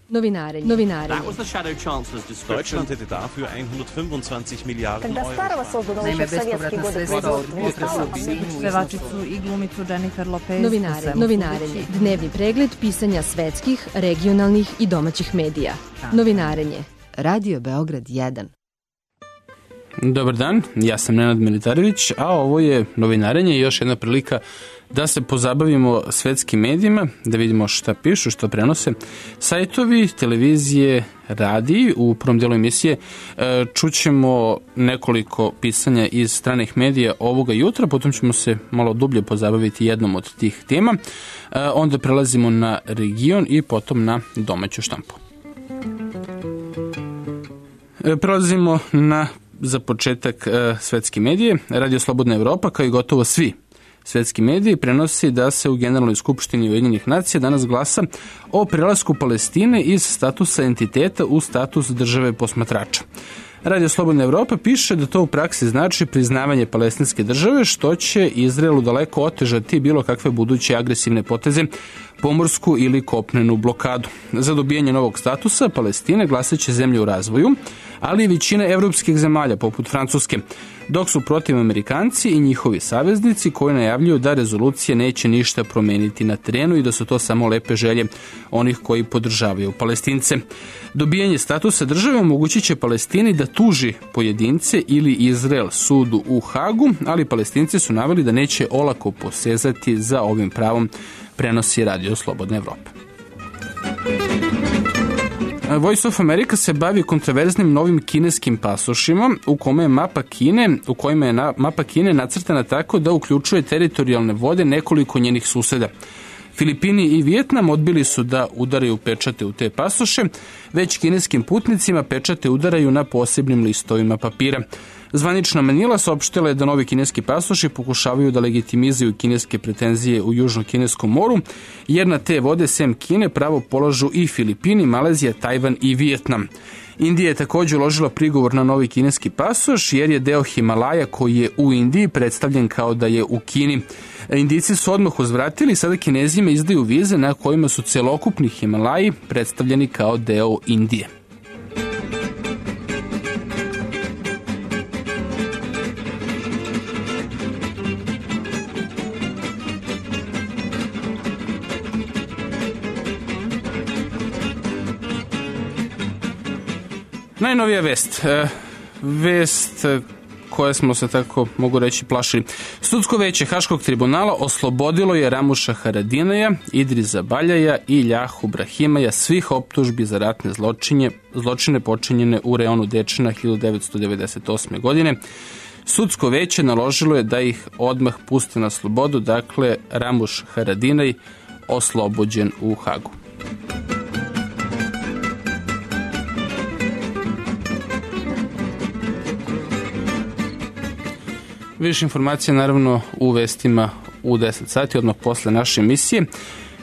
Novinarenje. That was the Shadow Chancellor's description. Deutschland hätte dafür 125 Milijarden Euro. Naime, bespovratna sredstva od pevačicu i glumicu Jennifer Lopez. Novinarenje. Dnevni pregled pisanja svetskih, regionalnih i domaćih medija. Novinarenje. Radio Beograd 1. Dobar dan, ja sam Nenad Militarević, a ovo je Novinarenje i još jedna prilika da se pozabavimo svetskim medijima, da vidimo šta pišu, šta prenose sajtovi, televizije, radiji. U prvom delu emisije čućemo nekoliko pisanja iz stranih medija ovoga jutra, potom ćemo se malo dublje pozabaviti jednom od tih tema, onda prelazimo na region i potom na domaću štampu. Prelazimo na za početak svetske medije. Radio Slobodna Evropa, kao i gotovo svi svetski mediji, prenosi da se u Generalnoj skupštini Ujedinjenih nacija danas glasa o prelasku Palestine iz statusa entiteta u status države posmatrača. Radio Slobodna Evropa piše da to u praksi znači priznavanje palestinske države, što će Izraelu daleko otežati bilo kakve buduće agresivne poteze, pomorsku ili kopnenu blokadu. Za dobijanje novog statusa Palestine glasaće zemlje u razvoju, ali i većina evropskih zemalja, poput Francuske, dok su protiv Amerikanci i njihovi saveznici koji najavljuju da rezolucija neće ništa promeniti na terenu i da su to samo lepe želje onih koji podržavaju Palestince. Dobijanje statusa države omogućit će Palestini da tuži pojedince ili Izrael sudu u Hagu, ali Palestinci su naveli da neće olako posezati za ovim pravom, prenosi Radio Slobodna Evropa. Voice of America se bavi kontroverznim novim kineskim pasošima u kojima je mapa Kine nacrtana tako da uključuje teritorijalne vode nekoliko njenih suseda. Filipini i Vijetnam odbili su da udaraju pečate u te pasoše, već kineskim putnicima pečate udaraju na posebnim listovima papira. Zvanična Manila saopštila je da novi kineski pasoši pokušavaju da legitimizuju kineske pretenzije u Južno-Kineskom moru, jer na te vode sem Kine pravo polažu i Filipini, Malezija, Tajvan i Vijetnam. Indija je također uložila prigovor na novi kineski pasoš, jer je deo Himalaja koji je u Indiji predstavljen kao da je u Kini. Indijci su odmah uzvratili i sada Kinezima izdaju vize na kojima su celokupni Himalaji predstavljeni kao deo Indije. Najnovija vest koje smo se, tako mogu reći, plašili. Sudsko veće Haškog tribunala oslobodilo je Ramuša Haradinaja, Idrisa Baljaja i Ljahu Brahimaja svih optužbi za ratne zločine počinjene u reonu Dečana 1998. godine. Sudsko veće naložilo je da ih odmah puste na slobodu, dakle Ramuš Haradinaj oslobođen u Hagu. Više informacija naravno u vestima u 10 sati, odmah posle naše emisije.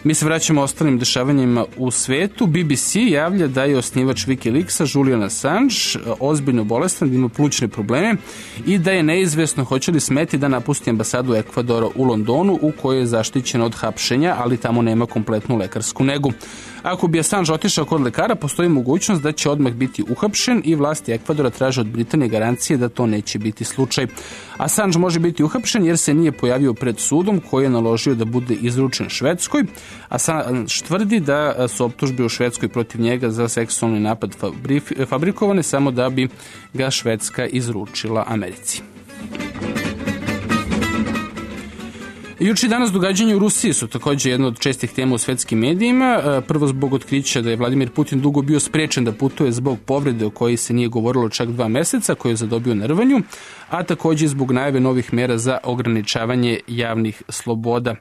Mi se vraćamo ostalim dešavanjima u svetu. BBC javlja da je osnivač Wikileaksa Julian Assange ozbiljno bolestan, da ima plućne probleme i da je neizvesno hoće li smeti da napusti ambasadu Ekvadora u Londonu, u kojoj je zaštićen od hapšenja, ali tamo nema kompletnu lekarsku negu. Ako bi Assange otišao kod lekara, postoji mogućnost da će odmah biti uhapšen i vlasti Ekvadora traže od Britanije garancije da to neće biti slučaj. Assange može biti uhapšen jer se nije pojavio pred sudom koji je naložio da bude izručen Švedskoj. Assange tvrdi da su optužbe u Švedskoj protiv njega za seksualni napad fabrikovane samo da bi ga Švedska izručila Americi. Juče i danas događanja u Rusiji su također jedna od čestih tema u svetskim medijima. Prvo zbog otkrića da je Vladimir Putin dugo bio sprečen da putuje zbog povrede o kojoj se nije govorilo čak 2 meseca, koju je zadobio na rvanju, a također zbog najave novih mera za ograničavanje javnih sloboda.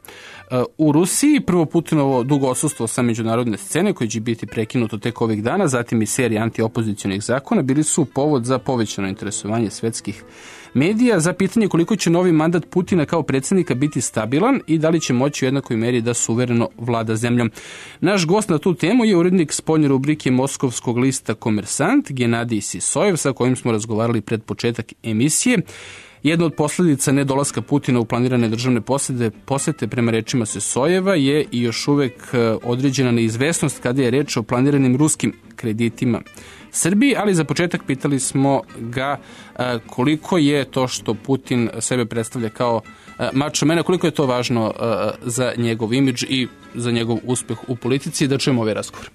U Rusiji prvo Putinovo dugo odsustvo sa međunarodne scene, koje će biti prekinuto tek ovih dana, zatim i serija antiopozicionih zakona, bili su povod za povećano interesovanje svetskih medija za pitanje koliko će novi mandat Putina kao predsjednika biti stabilan i da li će moći u jednakoj meri da suvereno vlada zemljom. Naš gost na tu temu je urednik spoljne rubrike moskovskog lista Komersant, Genadij Sisojev, sa kojim smo razgovarali pred početak emisije. Jedna od posljedica nedolaska Putina u planirane državne posete prema rečima Sesojeva je i još uvek određena neizvesnost kada je reč o planiranim ruskim kreditima Srbiji, ali za početak pitali smo ga koliko je to što Putin sebe predstavlja kao mačo mena, koliko je to važno za njegov imidž i za njegov uspeh u politici. Da čujemo ovaj razgovor.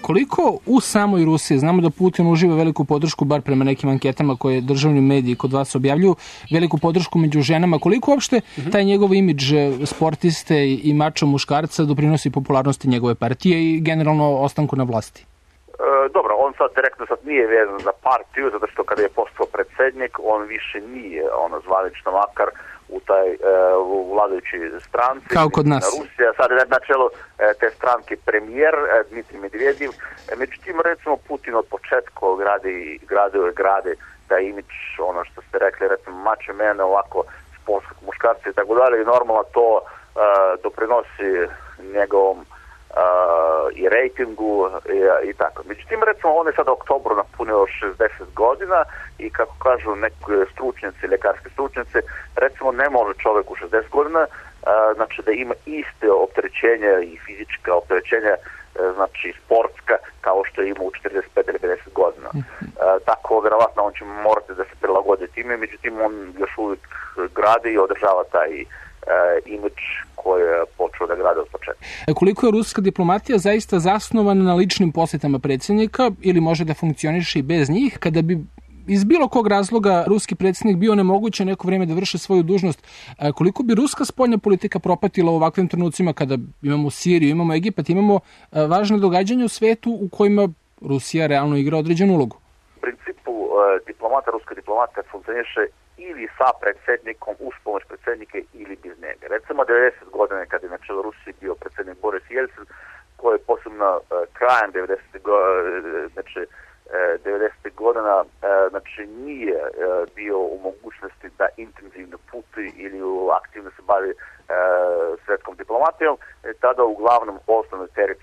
Koliko u samoj Rusiji, znamo da Putin uživa veliku podršku, bar prema nekim anketama koje državni mediji kod vas objavljuju, veliku podršku među ženama, koliko uopšte taj njegov imidž sportiste i mačo muškarca doprinosi popularnosti njegove partije i generalno ostanku na vlasti? Dobro, on sad direktno nije vezan za partiju, zato što kada je postao predsjednik, on više nije zvanično makar u vladajućoj stranci. Kao kod nas. Rusija, sad je na čelu te stranke premijer Dmitrij Medvedev. Međutim, recimo, Putin od početka gradi taj imidž, ono što ste rekli, recimo, mačo mene, ovako, sportskog muškarca i tako dalje, i normalno to doprinosi njegovom i rejtingu i tako. Međutim, recimo, on je sada u oktobru napunio 60 godina i kako kažu neki stručnjaci, ljekarski stručnjaci, recimo ne može čovjek u 60 godina znači da ima iste opterećenja i fizička opterećenja, znači sportska, kao što ima u 45 ili 50 godina. Tako, vjerovatno, on će morati da se prilagodi time, međutim, on još uvijek gradi i održava taj imidž koji je počeo da grade od početka. Koliko je ruska diplomatija zaista zasnovana na ličnim posjetama predsjednika ili može da funkcioniše i bez njih, kada bi iz bilo kog razloga ruski predsjednik bio nemoguće neko vrijeme da vrše svoju dužnost, koliko bi ruska spoljna politika propatila u ovakvim trenucima kada imamo Siriju, imamo Egipat, imamo važne događanja u svetu u kojima Rusija realno igra određenu ulogu? U principu ruska diplomata funkcioniše ili sa predsjednikom, uz pomoć predsjednika ili bez njega. Recimo 90 godina kad je na čelu Rusije bio predsjednik Boris Jelcin, koji je posebno krajem 90 godina znači nije bio u mogućnosti da intenzivno putuje ili aktivno se bavi svjetskom diplomatijom. Tada uglavnom osnovni teret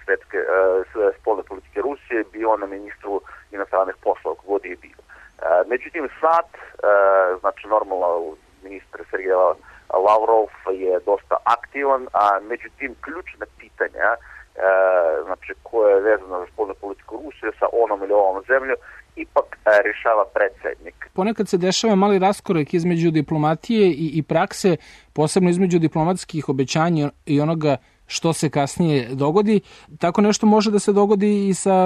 spoljne politike Rusije bio na ministru inostranih poslova, kogod je bio. Međutim, sad, znači normalno ministar Sergej Lavrov je dosta aktivan, a međutim ključna pitanja znači koje je vezano za spoljnu politiku Rusije sa onom ili ovom zemlju ipak rješava predsjednik. Ponekad se dešava mali raskorak između diplomatije i prakse, posebno između diplomatskih obećanja i onoga što se kasnije dogodi. Tako nešto može da se dogodi i sa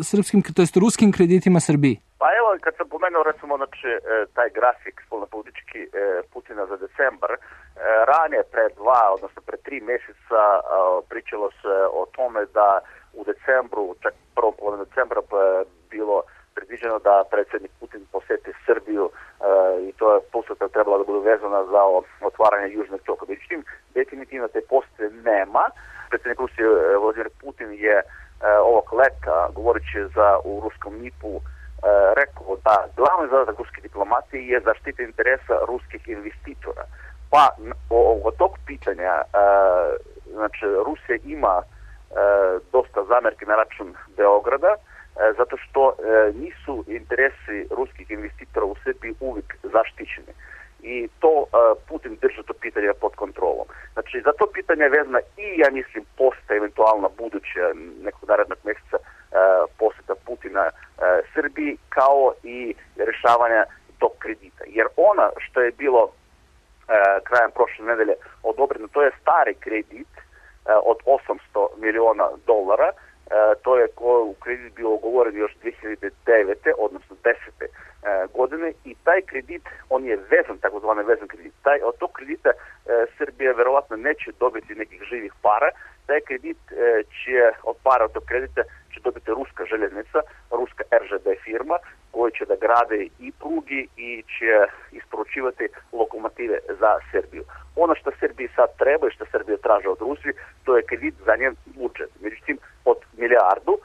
srpskim, to jest ruskim kreditima Srbiji. Pa evo, kad sam pomenuo recimo znači, taj grafik spoljnopolitički Putina za decembar, ranije pred 3 mjeseca pričalo se o tome da u decembru, čak prvom polovinu decembra bilo predviđeno da predsjednik Putin posjeti Srbiju i to je posjeta trebala da bude vezana za otvaranje južnog toka. Međutim, definitivno te posjete nema. Predsjednik Rusije Vladimir Putin je ovog leta, govoreći u ruskom NIP-u, rekao da glavni zadatak ruske diplomatije je zaštita interesa ruskih investitora. Pa od tog pitanja znači Rusija ima dosta zamjerki na račun Beograda, zato što nisu interesi ruskih investitora u Srbiji uvijek zaštićeni. I to Putin drži to pitanje pod kontrolom. Znači, za to pitanje je vezana i, ja mislim, posta eventualno buduće nekog narednog mjeseca posjeta Putina Srbiji, kao i rješavanja tog kredita. Jer ona što je bilo krajem prošle nedelje odobreno, to je stari kredit od $800 miliona. To je u kredit bio ugovoren još 2009. odnosno 10. godine i taj kredit, on je vezan, takozvani vezan kredit. Od tog kredita Srbija verovatno neće dobiti nekih živih para. Taj kredit od para od tog kredita će dobiti ruska željeznica, ruska RŽD firma, koja će da grade i prugi i će isporučivati lokomotive za Srbiju. Ono što Srbiji sad treba i što Srbija traže od Rusije, to je kredit za njen budžet. Međutim, od milijardu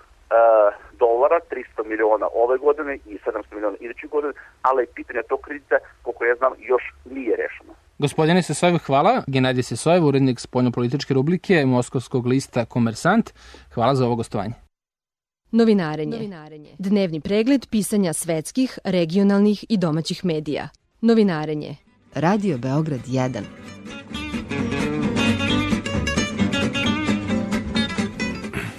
dolara, 300 miliona ove godine i 700 miliona iduće godine, ali pitanje tog kredita, koliko ja znam, još nije rešeno. Gospodine Sesojev, hvala. Genadij Sesojev, urednik spoljnopolitičke rubrike Moskovskog lista Komersant. Hvala za ovo gostovanje. Novinarenje. Dnevni pregled pisanja svetskih, regionalnih i domaćih medija. Novinarenje. Radio Beograd 1.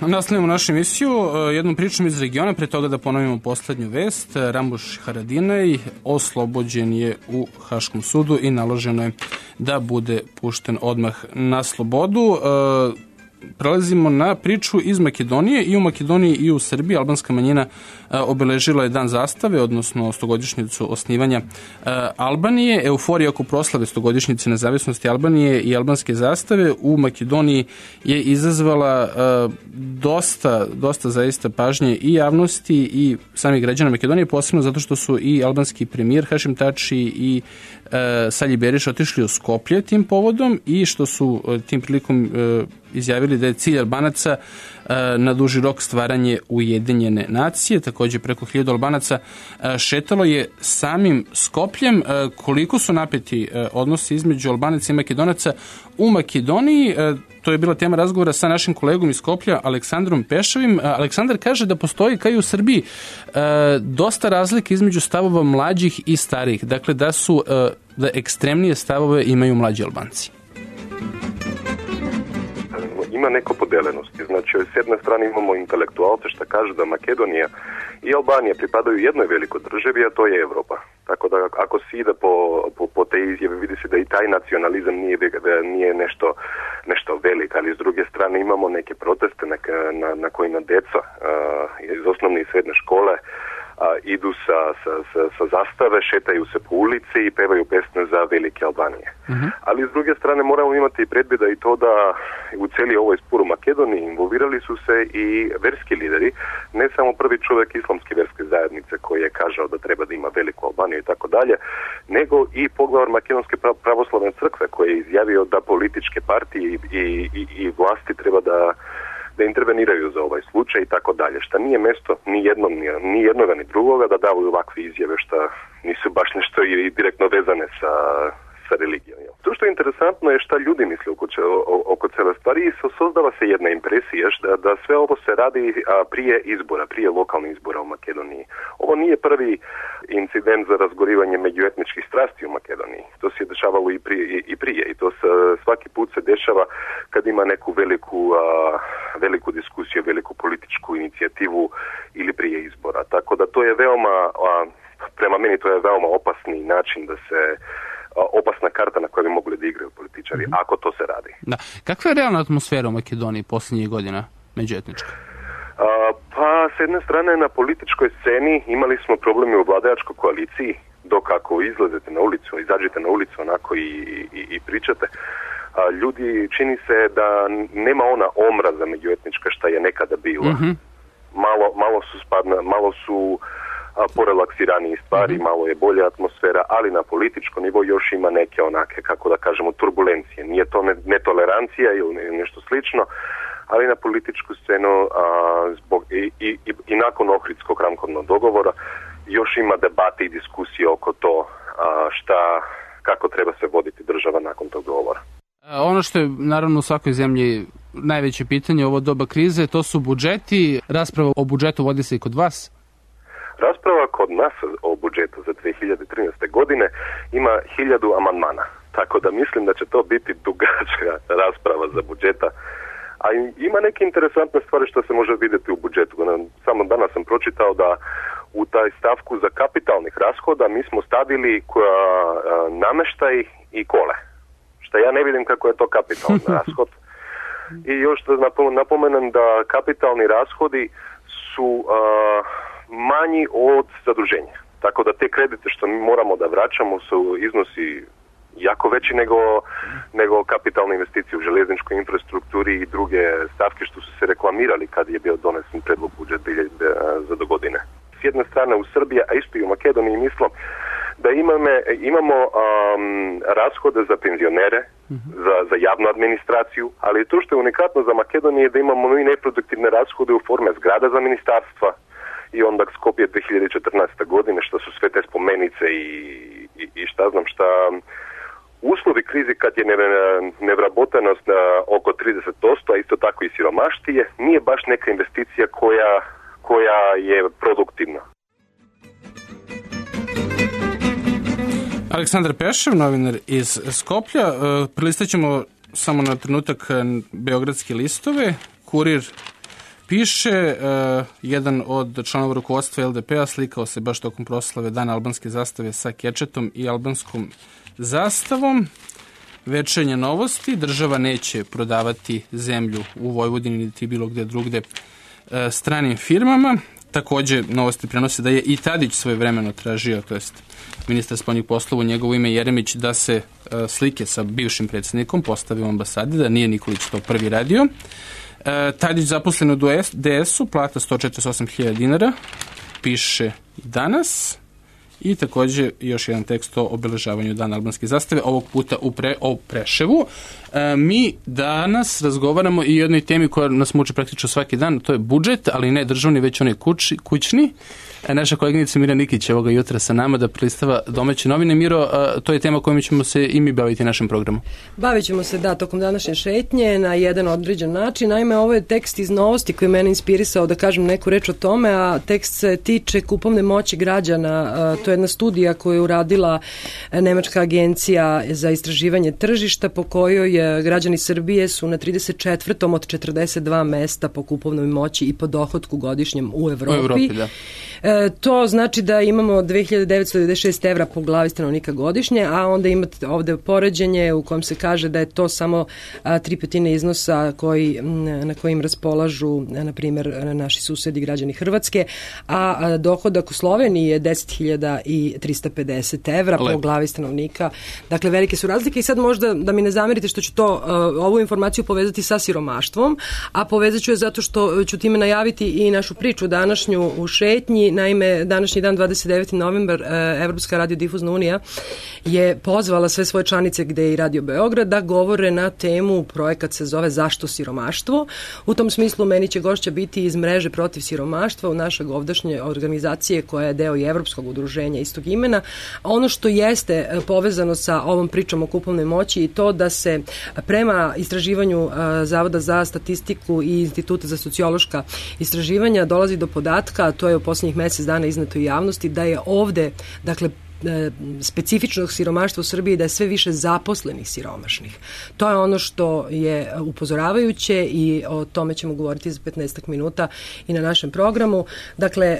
Nastavljamo našu emisiju jednom pričom iz regiona, pre toga da ponovimo poslednju vest. Ramuš Haradinaj oslobođen je u Haškom sudu i naloženo je da bude pušten odmah na slobodu. Prelazimo na priču iz Makedonije. I u Makedoniji i u Srbiji albanska manjina obeležila je dan zastave, odnosno 100-godišnjicu osnivanja Albanije. Euforija oko proslave 100-godišnjice nezavisnosti Albanije i albanske zastave u Makedoniji je izazvala dosta zaista pažnje i javnosti i samih građana Makedonije, posebno zato što su i albanski premijer Hašim Tači i Salji Beriš otišli u Skoplje tim povodom i što su tim prilikom izjavili da je cilj Albanaca na duži rok stvaranje Ujedinjene nacije. Takođe preko 1000 Albanaca šetalo je samim Skopljem. Koliko su napeti odnosi između Albanaca i Makedonaca u Makedoniji, to je bila tema razgovora sa našim kolegom iz Skoplja, Aleksandrom Pešavim. Aleksandar kaže da postoji, kao i u Srbiji, dosta razlike između stavova mlađih i starijih. Dakle, da ekstremnije stavove imaju mlađi Albanci. Ima neko podelenosti. Znači, s jedne strane imamo intelektualce što kažu da Makedonija i Albanija pripadaju jednoj velikoj državi, a to je Evropa. Tako da ako se ide po te izjave, vidi se da i taj nacionalizam nije nešto veliko, ali s druge strane imamo neke proteste na kojima deca iz osnovne i srednje škole idu sa zastave, šetaju se po ulici i pevaju pesme za velike Albanije. Ali s druge strane moramo imati predvida i to da u cijeli ovoj spor u Makedoniji involvirali su se i verski lideri, ne samo prvi čovjek islamske verske zajednice koji je kažao da treba da ima veliku Albaniju i tako dalje, nego i poglavar Makedonske pravoslavne crkve koji je izjavio da političke partije i vlasti treba da interveniraju za ovaj slučaj i tako dalje, što nije mesto ni jednoga ni drugoga da daju ovakve izjave što nisu baš nešto i direktno vezane sa religijom. To što je interesantno je šta ljudi misle oko cele stvari i sozdava se jedna impresija da sve ovo se radi prije lokalnih izbora u Makedoniji. Ovo nije prvi incident za razgorivanje međuetničkih strasti u Makedoniji. To se je dešavalo i prije i to svaki put se dešava kad ima neku veliku diskusiju, veliku političku inicijativu ili prije izbora. Tako da to je prema meni to je veoma opasni način da se opasna karta na kojoj bi mogli da igraju političari, ako to se radi. Da. Kakva je realna atmosfera u Makedoniji posljednjih godina međuetnička? Pa, s jedne strane, na političkoj sceni imali smo probleme u vladajačkoj koaliciji, dok ako izlazite na ulicu, izađete na ulicu onako i pričate, ljudi čini se da nema ona omraza međuetnička šta je nekada bila. Malo su porelaksiraniji stvari, malo je bolja atmosfera, ali na političkom nivou još ima neke onake, kako da kažemo, turbulencije. Nije to netolerancija ili nešto slično, ali na političku scenu zbog i nakon Ohridskog ramkovnog dogovora još ima debate i diskusije oko to kako treba se voditi država nakon tog dogovora. Ono što je naravno u svakoj zemlji najveće pitanje ovo doba krize, to su budžeti. Rasprava o budžetu vodi se i kod vas? Rasprava kod nas o budžetu za 2013. godine ima 1000 amandmana, tako da mislim da će to biti dugačka rasprava za budžeta. A ima neke interesantne stvari što se može vidjeti u budžetu. Samo danas sam pročitao da u taj stavku za kapitalnih rashoda mi smo stavili nameštaj i kole. Što ja ne vidim kako je to kapitalni rashod. I još da napomenem da kapitalni rashodi su manji od zaduženja. Tako da te kredite što mi moramo da vraćamo su iznosi jako veći nego kapitalne investicije u željezničkoj infrastrukturi i druge stavke što su se reklamirali kad je bio donesen predlog budžeta za do godine. S jedne strane u Srbiji, a isto i u Makedoniji mislim da imamo rashode za penzionere, za javnu administraciju, ali to što je unikatno za Makedoniju je da imamo i neproduktivne rashode u forme zgrada za ministarstva i onda Skopje 2014. godine što su sve te spomenice i šta znam šta. Uslovi krizi kad je nevrabotanost oko 30%, a isto tako i siromaštije, nije baš neka investicija koja je produktivna. Aleksandar Pešev, novinar iz Skoplja. Prelistat ćemo samo na trenutak beogradske listove. Kurir piše, jedan od članova rukovodstva LDP-a slikao se baš tokom proslave Dana albanske zastave sa kečetom i albanskom zastavom. Večernje novosti, država neće prodavati zemlju u Vojvodini niti bilo gde drugde stranim firmama. Takođe, novosti prenose da je i Tadić svojevremeno tražio, to jest ministar spoljnih poslova u njegovo ime Jeremić, da se slike sa bivšim predsjednikom postave u ambasadi, da nije Nikolić to prvi radio. Tadić zaposlen u DS-u, plata 148.000 dinara, piše danas. I takođe još jedan tekst o obeležavanju Dana albanske zastave, ovog puta o Preševu. Mi danas razgovaramo i o jednoj temi koja nas muči praktično svaki dan, to je budžet, ali ne državni, već onaj kućni. Naša koleginica Mira Nikić je ovoga jutra sa nama da prelistava domaće novine. Miro, to je tema kojom ćemo se i mi baviti našem programu. Bavit ćemo se, tokom današnje šetnje na jedan određen način. Naime, ovo je tekst iz Novosti koji je mene inspirisao da kažem neku reč o tome, a tekst se tiče kupovne moći građana. To je jedna studija koju je uradila Nemačka agencija za istraživanje tržišta, po kojoj građani Srbije su na 34. od 42 mesta po kupovnoj moći i po dohotku godišnjem u Evropi. U Evropi, da. To znači da imamo 2996 evra po glavi stanovnika godišnje, a onda imate ovde poređenje u kojem se kaže da je to samo 3/5 iznosa na kojim raspolažu, na primjer, naši susedi građani Hrvatske, a dohodak u Sloveniji je 10.350 evra po glavi stanovnika. Dakle, velike su razlike i sad možda da mi ne zamerite što ću ovu informaciju povezati sa siromaštvom, a povezat ću je zato što ću time najaviti i našu priču današnju u šetnji. Naime, današnji dan, 29. novembar, Evropska radiodifuzna unija je pozvala sve svoje članice, gde je i Radio Beograd, da govore na temu, projekat se zove Zašto siromaštvo. U tom smislu meni će gošća biti iz mreže protiv siromaštva u našeg ovdašnje organizacije koja je deo i Evropskog udruženja istog imena. Ono što jeste povezano sa ovom pričom o kupovnoj moći i to da se prema istraživanju Zavoda za statistiku i Instituta za sociološka istraživanja dolazi do podatka, a to je u posljednjih mesec dana izneto u javnosti, da je ovde, dakle, specifičnog siromaštva u Srbiji, da je sve više zaposlenih siromašnih. To je ono što je upozoravajuće i o tome ćemo govoriti za 15 minuta i na našem programu. Dakle,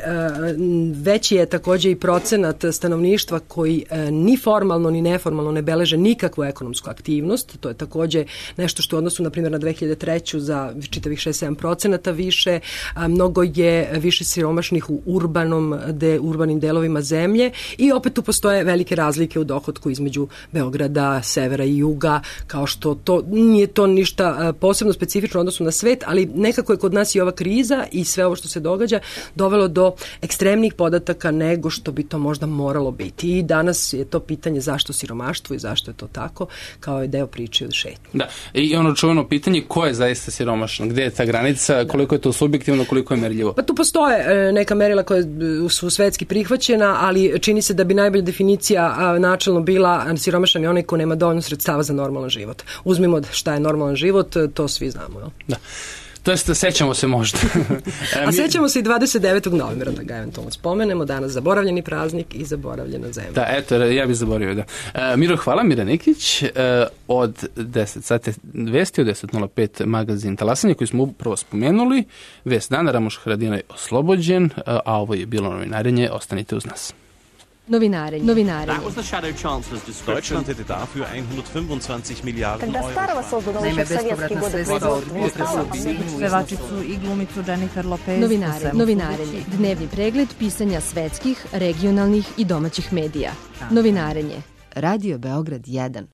veći je takođe i procenat stanovništva koji ni formalno ni neformalno ne beleže nikakvu ekonomsku aktivnost. To je takođe nešto što u odnosu, na primjer, na 2003. za čitavih 6-7% više. Mnogo je više siromašnih u urbanim delovima zemlje i opet tu postoje velike razlike u dohotku između Beograda, severa i juga, kao što to nije to ništa posebno specifično u odnosu na svet, ali nekako je kod nas i ova kriza i sve ovo što se događa dovelo do ekstremnih podataka nego što bi to možda moralo biti. I danas je to pitanje zašto siromaštvo i zašto je to tako, kao je deo priče od šetnje. Da, i ono čuveno pitanje, ko je zaista siromašno? Gde je ta granica? Koliko je to subjektivno, koliko je merljivo? Pa tu postoje neka merila koja su svetski prihvaćena, ali čini se da bi najbolja definicija načelno bila siromašan je onaj ko nema dovoljno sredstava za normalan život. Uzmimo šta je normalan život, to svi znamo. No? Da. To jest, sećamo se možda. A sećamo se i 29. novembra, da ga eventualno spomenemo, danas zaboravljeni praznik i zaboravljena zemlja. Da, eto, ja bih zaboravio, da. Miro, hvala, Mira Nikić. Od 10 sati vesti, od 10.05 magazin Talasanje, koji smo upravo spomenuli. Vest dana, Ramoš Haradinaj oslobođen, a ovo je bilo novinarenje. Ostanite uz nas. Novinare. That was the Shadow Chancellor's description. Deutschland hätte dafür 125 Milliarden Когда старого создано еще в советские годы Pevačicu i glumicu Jennifer Lopez. Novinarenje. Dnevni pregled pisanja svetskih, regionalnih i domaćih medija. Novinarenje. Radio Beograd 1.